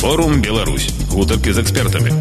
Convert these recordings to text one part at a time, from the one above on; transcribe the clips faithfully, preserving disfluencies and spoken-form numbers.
Форум Беларусь. Гутаркі з экспертамі.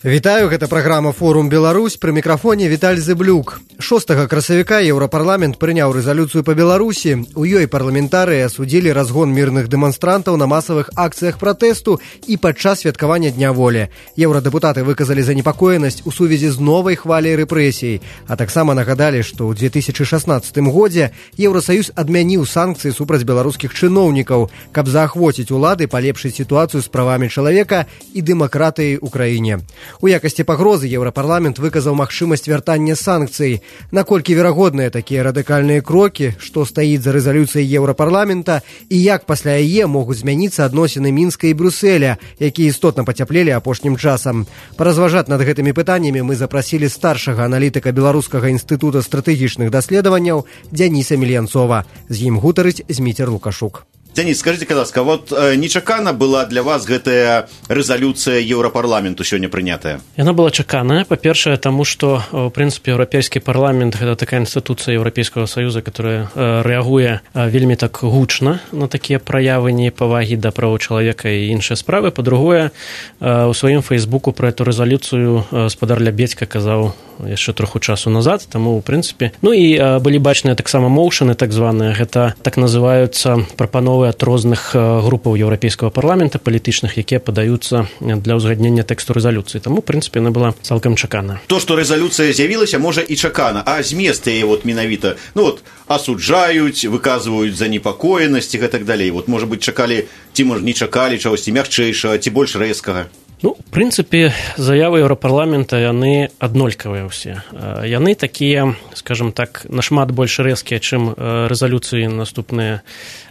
Вітаю, гэта праграма «Форум Беларусь», пры мікрафоне Віталь Зыблюк. шостага красавіка Еўрапарламент прыняў рэзалюцыю па Беларусі. У ёй парламентарыі асудзілі разгон мірных дэманстрантаў на масавых акцыях пратэсту і падчас святкавання Дня волі. Еўрадэпутаты выказалі занепакоенасць у сувязі з новай хваляй рэпрэсій, а таксама нагадалі, што ў две тысячы шаснаццатым годзе Еўрасаюз адмяніў санкцыі супраць беларускіх чыноўнікаў, каб заахвоціць улады палепшыць сітуацыю з правамі чалавека і дэмакратыяй у краіне. У якасці пагрозы Еўрапарламент выказаў магчымасць вяртання санкцый. Наколькі верагодныя такія радыкальныя крокі, што стаіць за рэзалюцыяй Еўрапарламента і як пасля яе могуць змяніцца адносіны Мінска і Брюсселя, якія істотна пацяплелі апошнім часам. Паразважаць над гэтымі пытаннямі мы запрасілі старшага аналітыка Беларускага інстытута стратэгічных даследаванняў Дзяніса Мельянцова. З ім гутарыць Зміцер Лукашук. Дзяніс, скажите, калі ласка, вот нечакана была для вас гэтая рэзалюцыя Еўрапарламенту сёння прынятая? Яна была чаканая, па-першае, таму што, ў прынцыпе, Еўрапейскі парламент гэта такая інстытуцыя Еўрапейскага саюза, которая рэагуе вельмі так гучна на такія праявы непавагі да правоў чалавека і іншыя справы. Па-другое, у сваім фейсбуку пра эту рэзалюцыю спадар Лябедзька казаў яшчэ троху часу назад, таму, ў прынцыпе, ну і былі бачныя таксама моўшаны, так званыя, гэта так называюцца прапановы ад розных групаў Еўрапейскага парламента палітычных, якія падаюцца для ўзгаднення тэксту рэзалюцыі. Таму, ў прынцыпе, яна была цалкам чакана. То, што рэзалюцыя з'явілася, можа і чакана, а змест яе вот менавіта, ну вот, асуджаюць, выказваюць занепакоенасць і гэтак далей. Вот, можа быць, чакалі, ці, можа, не чакалі чагосьці мякчэйшага, ці больш рэзкага. Ну, в прынцыпе, заявы Еўрапарламента, яны аднолькавыя ўсе. Яны такія, скажем так, нашмат больш рэзкія, чым рэзалюцыі наступныя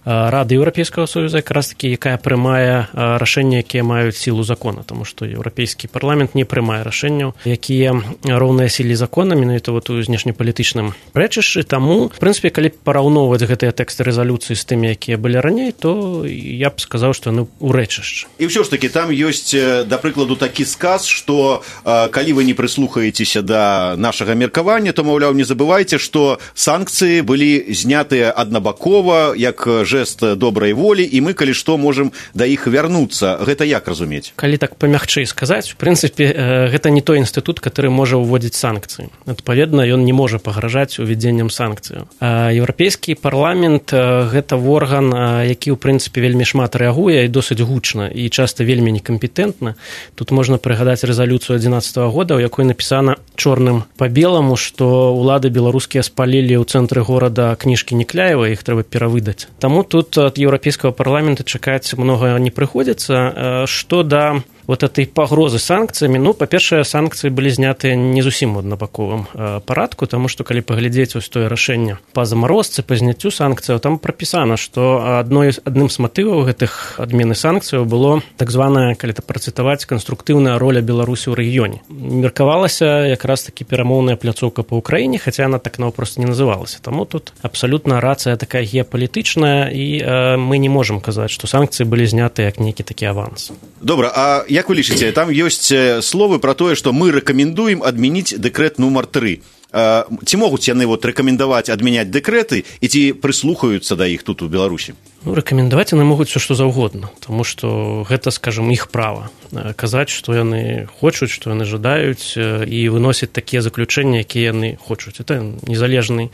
Рады Еўрапейскага Союза, якраз такі, якая прымае рашэнні, якія маюць сілу закона, таму што Еўрапейскі парламент не прымае рашэнняў, якія роўныя сіле закона, менавіта вот у знешнепалітычным рэчышчы. Таму, в прынцыпе, калі параўноўваць гэтыя тэксты рэзалюцыі з тымі, якія былі раней, то я б сказаў, што яны ў рэчышчы. І ўсё ж такі, там ёсць, да прыкладу, такі сказ, што э, калі вы не прыслухаецеся да нашага меркавання, то, маўляў, не забывайце, што санкцыі былі знятыя аднабакова, як жэст добрай волі, і мы, калі што, можам да іх вярнуцца. Гэта як разумець? Калі так памягчэй сказаць, у прынцыпе, гэта не той інстытут, который можа ўводзіць санкцыі. Адпаведна, ён не можа пагражаць увядзеннем санкцыяў. Еўрапейскі парламент – гэта орган, які, у прынцыпе, вельмі шмат рэагуе і досыць гучна, і часта вельмі некампетэнтна. Тут можна прыгадаць рэзалюцыю адзінаццатага года, у якой напісана чорным па беламу, што ўлады беларускія спалілі ў цэнтры горада кніжкі Некляева, іх трэба перавыдаць. Таму тут ад Еўрапейскага парламента чакаць многа не прыходзіцца. Што да вот этой пагрозы санкцыямі, ну, па-першае, санкцыі былі знятыя не зусім у аднабаковым парадку, таму што, калі паглядзець вось тое рашэнне па замарозцы, па зняццю санкцыяў, там прапісана, што адной, адным з матываў гэтых адмены санкцыяў было так званая, калі это працытаваць, канструктыўная роля Беларусі ў рэгіёне. Меркавалася якраз такі перамоўная пляцоўка па Ўкраіне, хаця яна так наўпрост не называлася. Таму тут абсалютна рацыя такая геапалітычная, і э, мы не можам казаць, што санкцыі былі знятыя як нейкі такі аванс. Добра, а як вы лічыце, там ёсць словы пра тое, што мы рэкамендуем адмяніць дэкрэт нумар тры. Ці могуць яны вот рэкамендаваць адмяняць дэкрэты і ці прыслухаюцца да іх тут у Беларусі? Ну, рэкамендаваць яны могуць все што заўгодна, таму што гэта, скажем, іх права казаць, што яны хочуць, што яны жадаюць, і выносяць такія заключэнні, якія яны хочуць. Это незалежны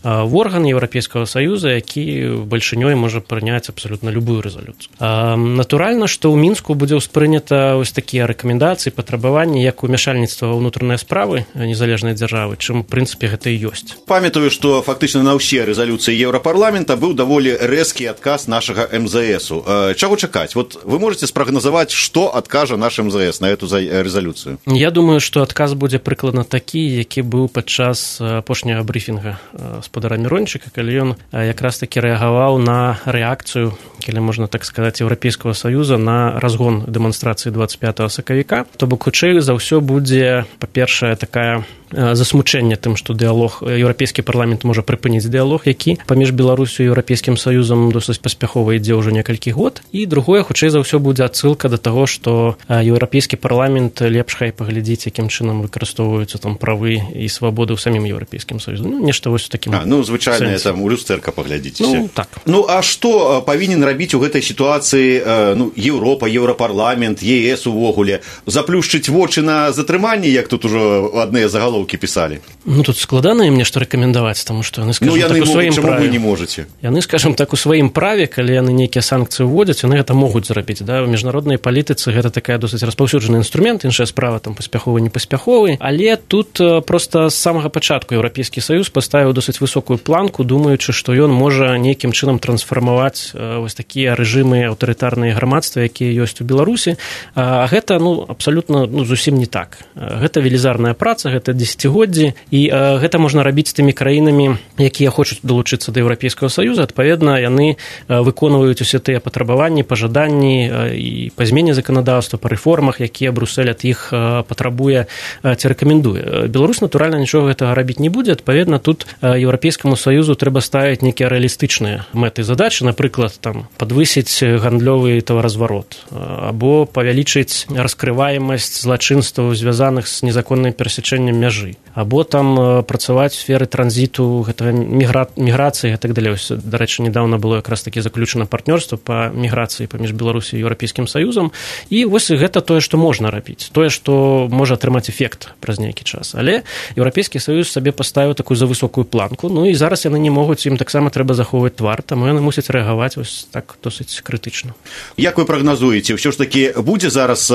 орган Еўрапейскага Саюза, які бальшынёй можа прыняць абсалютна любую рэзалюцыю. Натуральна, што ў Мінску будзе ўспрынята ось такія рэкамендацыі, патрабаванні, як умяшальніцтва ва ўнутраныя справы незалежнай дзяржавы, чым, у прынцыпе, гэта і ёсць. Памятаю, што фактычна на ўсе рэзалюцыі Еўрапарламента быў даволі рэзкі адказ нашага эм зэ эсу. Чаго чакаць? Вот вы можете спрагназаваць, што адкажа наш эм зэ эс на эту рэзалюцыю? Я думаю, што адказ будзе прыкладна такі, які быў падчас апошняга брыфінга спадара Мірончыка, калі ён якраз такі рэагаваў на рэакцыю, калі можна так сказаць, Еўрапейскага Саюза на разгон дэманстрацыі дваццаць пятага сакавіка. То бок, хутчэй за ўсё будзе, па-першае, такая засмучэнне тым, што дыялог, Еўрапейскі парламент можа прыпыніць дыялог, які паміж Беларусю і Еўрапейскім Саюзам досыць паспяхова ідзе ўжо некалькі год, і другое, хутчэй за ўсё, будзе адсылка да таго, што еўрапейскі парламент лепш хай паглядзіць, якім чынам выкарыстоўваюцца там правы і свабоды ў самім еўрапейскім саюзе. Ну, нешта вось у такім. А, ну, звычайна там у люстэрка паглядзіце. Ну, так. Ну, а што павінен рабіць у гэтай сітуацыі, ну, Еўропа, Еўрапарламент, ЕС увогуле? Заплюшчыць вочы на затрыманне, як тут ужо адныя загалоўкі пісалі? Ну, тут складана ім нешта рэкамендаваць, таму што яны, скажам, ну, яны так, у сваім чаму праве. Вы не можаце? Яны, скажам так, у сваім праве, калі яны нейкія санкцыі ўводзяць, яны гэта могуць зрабіць. Да? У міжнароднай палітыцы гэта такая досыць распаўсюджаны інструмент, іншая справа там паспяховы, непаспяховы, але тут проста з самага пачатку Еўрапейскі саюз паставіў досыць высокую планку, думаючы, што ён можа нейкім чынам трансфармаваць вось такія рэжымы аўтарытарныя грамадства, якія ёсць у Беларусі. А гэта, ну, абсалютна, ну, зусім не так. Гэта велізарная праца, гэта дзесяцігоддзі, і гэта можна рабіць з тымі краінамі, якія хочуць далучыцца да Еўрапейскага саюза. Адпаведна, яны выконваюць усе тыя патрабаванні, пажаданні і па змене заканадаўства, па рэформах, якія Брюссель ад іх патрабуе ці рэкамендуе. Беларусь, натуральна, нічога гэтага рабіць не будзе. Адпаведна, тут Еўрапейскаму саюзу трэба ставіць нейкія рэалістычныя мэты задачы, напрыклад, там, падвысіць гандлёвы таваразварот або павялічыць раскрываемасць злачынстваў, звязаных з незаконным перасячэннем мяжы, або там працаваць у сферы транзіту, гэтага мігра... міграцыі і так далей. Дарэчы, недавно было якраз такі заключана партнёрства па міграцыі паміж Беларусі і Еўрапейскім саюзам, і вось гэта тое, што можна рабіць, тое, што можа атрымаць эфект праз нейкі час. Але Еўрапейскі саюз сабе паставіў такую завысокую планку, ну і зараз яны не могуць, ім таксама трэба захоўваць твар, таму яны мусяць рэагаваць вось так досыць крытычна. Як вы прагназуеце, ўсё ж такі будзе зараз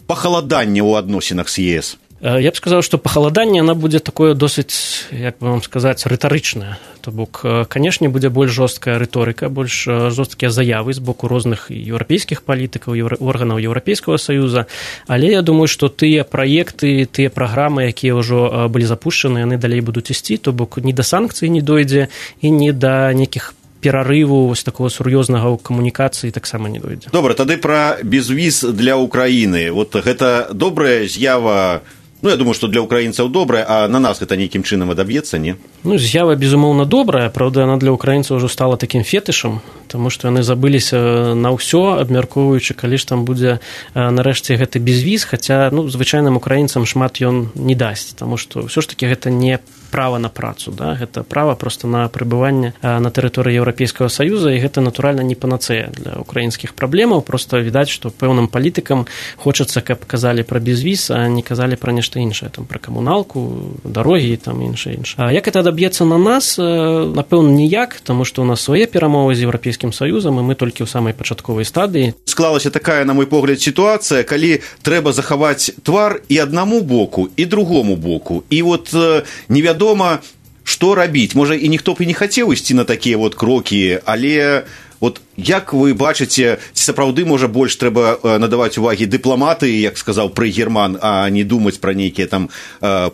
пахаладанне ў адносінах з ЕС? Я б сказаў, што пахаладанне, яна будзе такое досыць, як бы вам сказаць, рытарычнае. То бок, канешне, будзе больш жорсткая рыторыка, больш жорсткія заявы з боку розных еўрапейскіх палітыкаў, еўра... органаў Еўрапейскага саюза, але я думаю, што тыя праекты, тыя праграмы, якія ўжо былі запушчаны, яны далей будуць ісці, то бок ні да санкцый не дойдзе і ні да нейкіх перарыву вось такого сур'ёзнага ў камунікацыі таксама не дойдзе. Добра, тады пра безвіз для Ўкраіны. Вот гэта добрая з'ява. Ну, я думаю, што для украінцаў добрая, а на нас гэта нейкім чынам адаб'ецца, не? Ну, з'ява, безумоўна, добрая, правда, яна для украінцаў ўжо стала такім фетышам, таму што яны забыліся на ўсё, абмяркоўваючы, калі ж там будзе нарэшце гэты безвіз, хаця, ну, звычайным украінцам шмат ён не дасць, таму што ўсё ж такі гэта не права на працу, да? Гэта права проста на прыбыванне на тэрыторыі Еўрапейскага саюза, і гэта, натуральна, не панацэя для украінскіх праблемаў, проста відаць, што пэўным палітыкам хочацца, каб казалі пра безвіз, а не казалі пра нешта іншае, там, пра камуналку, дарогі і там іншае іншае. А як гэта адаб'ецца на нас? Напэўна, ніяк, таму што ў нас свае перамовы з Еўрапейскім саюзам, і мы толькі ў самай пачатковай стадыі. Склалася такая, на мой погляд, сітуацыя, калі трэба захаваць твар і аднаму боку, і другому боку. І вот невядома, Вядома, што рабіць. Можа, і ніхто б і не хацеў ісці на такія вот крокі, але вот як вы бачыце, ці сапраўды, можа, больш трэба надаваць увагі дыпламатыі, як сказаў Прыгерман, а не думаць пра нейкія там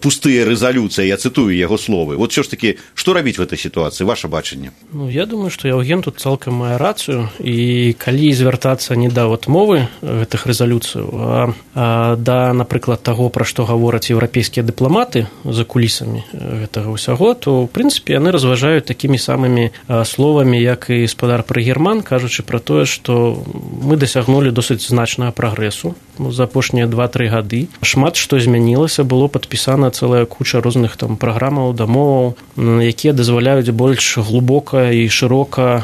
пустыя рэзалюцыі, я цытую яго словы. Вот ўсё ж такі, што рабіць в этой сітуацыі, ваше бачанне? Ну, я думаю, што Яўген тут цалкам мае рацыю, і калі звяртацца не да вот мовы гэтых рэзалюцыяў, а, а да, напрыклад, таго, пра што гавораць еўрапейскія дыпламаты за кулісамі гэтага ўсяго, то, ў прынцыпе, яны разважаюць такімі самымі словамі, як і спадар Прыгерман, кажучы пра тое, што мы дасягнулі досыць значнага прагрэсу за апошнія два-тры гады. Шмат што змянілася, было падпісана цэлая куча розных там праграмаў, дамоваў, якія дазваляюць больш глыбока і шырока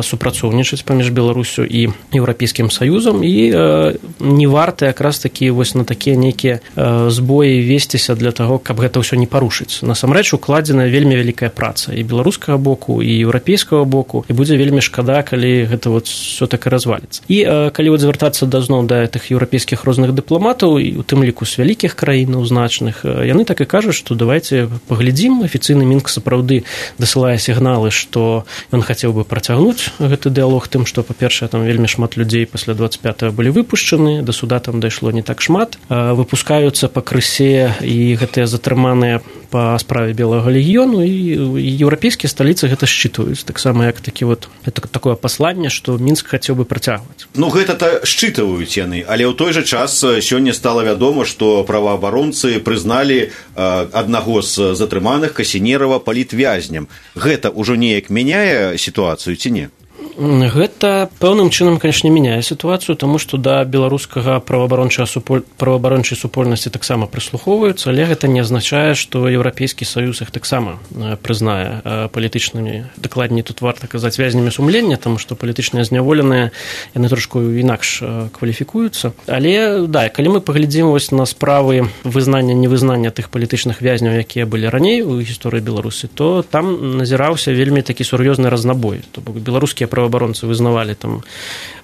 супрацоўнічаць паміж Беларусю і Еўрапейскім саюзам, і не варта якраз такі вось на такія нейкія збоі весціся для таго, каб гэта ўсё не парушыць. Насамрэч укладзена вельмі вялікая праца і беларускага боку, і еўрапейскага боку, і будзе вельмі шкада, калі гэта вот все так і разваліцца. І калі вот звяртацца да зноў да тых еўрапейскіх розных дыпламатаў, і у тым ліку з вялікіх краінаў значных, яны так і кажуць, што давайте паглядзім, афіцыйны Мінск сапраўды дасылае сігналы, што ён хацеў бы працягнуць гэты дыялог тым, што, па-першае, там вельмі шмат людзей пасля дваццаць пятага былі выпушчаны, да суда там дайшло не так шмат, выпускаюцца пакрысе і гэтыя затрыманыя па справе Белага легіёну, і еўрапейскія сталіцы гэта счытваюць, таксама як такі вот это такое пасланне, што Мінск хацеў бы працягваць. Ну, гэта-то счытваюць яны, але ў той жа час сёння стала вядома, што праваабаронцы прызналі аднаго з затрыманых Касінерава палітвязням. Гэта ўжо неяк мяняе сітуацыю ці не? Гэта пэўным чынам, канешне, мяняе сітуацыю, таму што да беларускага праваабарончай супольнасці таксама прыслухоўваюцца, але гэта не азначае, што Еўрапейскі саюз іх таксама прызнае палітычнымі, дакладней тут варта казаць вязнямі сумлення, таму што палітычныя зняволеныя яны трошку інакш кваліфікуюцца. Але да, калі мы паглядзім вось на справы вызнання невызнання тых палітычных вязняў, якія былі раней у гісторыі Беларусі, то там назіраўся вельмі такі сур'ёзны разнабой. То бок беларускія праваабаронцы вызнавалі там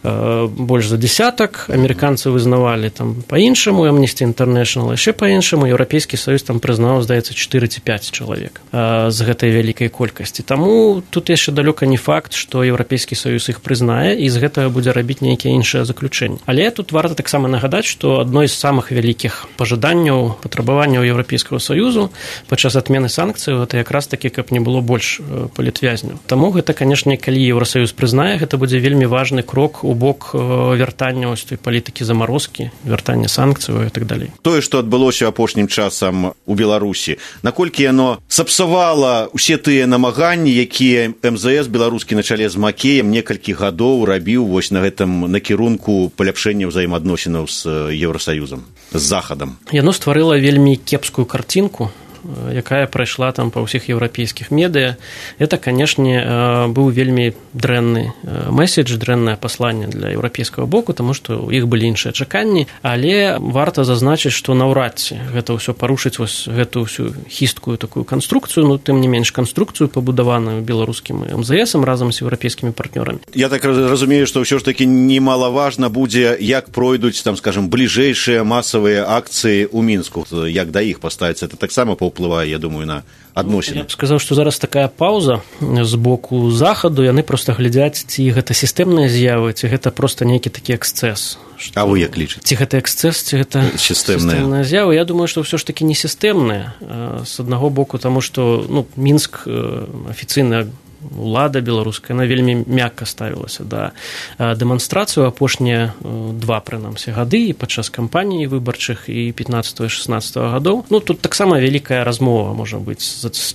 э, больш за десятак, амерыканцы вызнавалі там па-іншаму, Amnesty International яшчэ па-іншаму, Еўрапейскі саюз там прызнаў, здаецца, чатыры ці пяць чалавек э, з гэтай вялікай колькасці. Таму тут яшчэ далёка не факт, што Еўрапейскі саюз іх прызнае і з гэтага будзе рабіць нейкія іншыя заключэнні. Але тут варта таксама нагадаць, што адно з самых вялікіх пажаданняў, патрабаванняў Еўрапейскага саюзу падчас адмены санкцый гэта якраз такі, каб не было больш палітвязняў. Таму гэта, канешне, калі Еўрасаюз прызнае, гэта будзе вельмі важны крок у бок вяртання ось той палітыкі замарозкі, вяртання санкцыяў і так далей. Тое, што адбылося апошнім часам у Беларусі, наколькі яно сапсавала ўсе тыя намаганні, якія эм зэ эс беларускі на чале з Макеем некалькі гадоў рабіў вось на гэтым накірунку паляпшэння ўзаемаадносінаў з Еўрасаюзам, з Захадам. Яно стварыла вельмі кепскую карцінку, якая прайшла там па ўсіх еўрапейскіх медыя. Это, канешне, быў вельмі дрэнны месседж, дрэннае пасланне для еўрапейскага боку, таму што ў іх былі іншыя чаканні, але варта зазначыць, што наўрад ці гэта ўсё парушыць вось гэтую ўсю хісткую такую канструкцыю, ну, тым не менш канструкцыю, пабудаваную беларускім эм зэ эсам разам з еўрапейскімі партнёрамі. Я так разумею, што ўсё ж такі немалаважна будзе, як пройдуць, там, скажем, бліжэйшыя масавыя акцыі ў Мінску, як да іх паставіцца. Это таксама паўплывае, я думаю, на адносіны. Я б сказаў, што зараз такая паўза з боку захаду, яны проста глядзяць, ці гэта сістэмныя з'явы, ці гэта проста нейкі такі эксцэс. А вы як лічыце? Ці гэта эксцэс, ці гэта сістэмная з'ява? Я думаю, што ўсё ж такі не сістэмная. З аднаго боку, таму што, ну, Мінск афіцыйна улада беларуская, она вельмі мякка ставілася да дэманстрацыю апошнія два, прынамсі, гады і падчас кампаніі выбарчых і пятнаццатага і шаснаццатага гадоў. Ну, тут таксама вялікая размова, можа быць,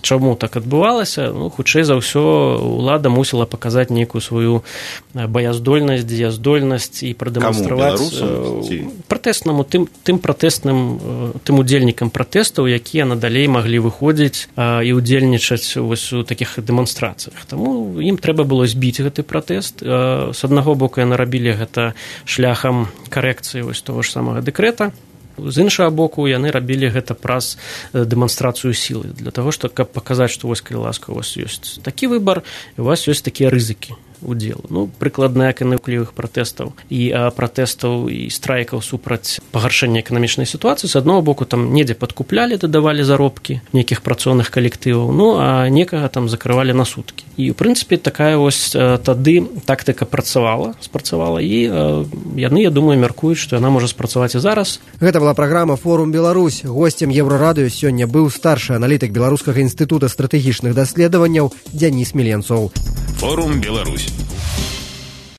чаму так адбывалася. Ну, хутчэй за ўсё, улада мусіла паказаць нейкую сваю баяздольнасць, дзеяздольнасць і прадэманстраваць пратэснаму, тым, тым пратэсным, тым удзельнікам пратэстаў, якія надалей маглі выходзіць і удзельнічаць вось у такіх дэманстрацыях. Таму ім трэба было збіць гэты пратэст. З аднаго боку яны рабілі гэта шляхам карэкцыі вось того ж самага дэкрэта. З іншага боку яны рабілі гэта праз дэманстрацыю сілы, для таго, што каб паказаць, што вось, калі ласка, у вас ёсць такі выбар, і у вас ёсць такія рызыкі удзелу. Ну, прыкладна як і нуклівых пратэстаў і а, пратэстаў і страйкаў супраць пагаршэння эканамічнай сітуацыі. З аднаго боку там недзе падкуплялі, дадавалі заробкі нейкіх працоўных калектываў, ну, а некага там закрывалі на суткі. І, ў прынцыпе, такая вось тады тактыка працавала, спрацавала, і а, яны, я думаю, мяркуюць, што яна можа спрацаваць і зараз. Гэта была праграма «Форум Беларусь». Госцем Еўрарадыё сёння быў старшы аналітык Беларускага інстытута стратэгічных даследаванняў Дзяніс Міленцоў. «Форум Беларусь».